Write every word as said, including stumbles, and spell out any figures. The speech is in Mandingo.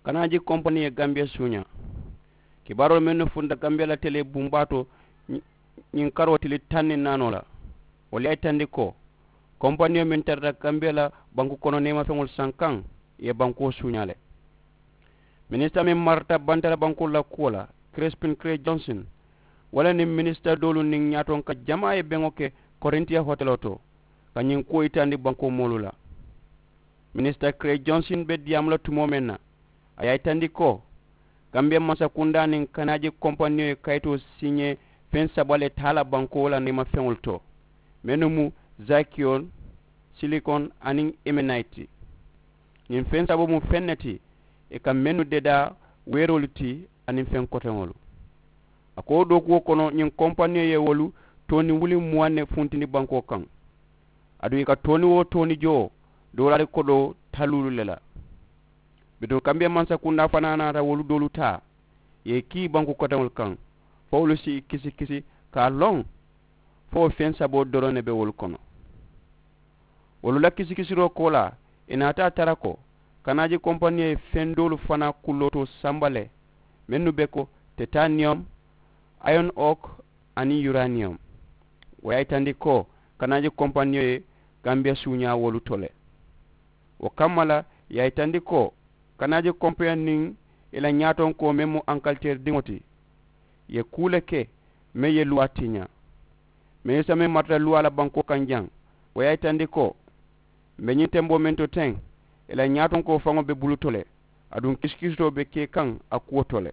Kanaa je kompani ye gambiya suuñaa. Kibaaroolu mennu funta gambiya la telee bumbaa to ñiŋ karoo tili taŋ niŋ naanoo la, wolu ye a yitandi ko kompaniyo meŋ tarata gambiya la banku kono neemafeŋolu sankaŋ ye bankuwo suuñaa le. Minisita meŋ marata bantala bankuwo la kuwo la, kirispin kire jonsin, wo le niŋ minisita doolu niŋ ñaatonka jamaa ye beŋo ke korintiya hoteloo to ka ñiŋ kuwo yitandi bankuwo moolu la. Minisita kire jonsin be diyaamu la tumoo meŋ na, a ye a yitandi ko gambiya mansakundaa niŋ kanaaji kompaniyo ye kayitoo siiñee feŋ saba le taa la bankuwo la neemafeŋolu to, mennu mu zakiyon, silikon aniŋ emenayiti. Ñiŋ feŋ saboo mu feŋ ne ti ì ka mennu dedaa weeroolu ti aniŋ feŋ koteŋolu. A ko dookuwo kono ñiŋ kompaniyo ye wolu tooni wuli muwaŋ ne funtindi bankoo kaŋ. Aduŋ ì ka tooni wo tooni joo doolaari kodoo taluulu le la. Bituŋ kambiya mansakundaa fanaa naata wolu doolu taa ye ì kii banku koteŋolu kaŋ fo wolu si ì kisi kisi ka a loŋ fo wo feŋ saboo doroŋ ne be wolu kono. Wolu la kisikisiroo koolaa ì naata a tara ko kanaaji kompaniyo ye feŋ doolu fanaa kulootoo samba le mennu be ko tetaniyom, ayon ok, aniŋ yuraniyom. Wo ye a yitandi ko kanaaji kompaniyo ye gambiya suuñaa wolu to le. Wo kamma la ì ye a yitandi ko kanaaji kompaniyo niŋ ì la ñaatonkoo meŋ mu ankaliteeri diŋo ti ì ye kuu le ke meŋ ye luwaa tiñaa. Minisita meŋ marata luwaa la bankoo kaŋ jaŋ wo ye a yitandi ko m̀ be ñiŋ temboo meŋ to teŋ ì la ñaatonkoo faŋo be bulu to le. Aduŋ kisikisitoo be ke kaŋ a kuwo to le.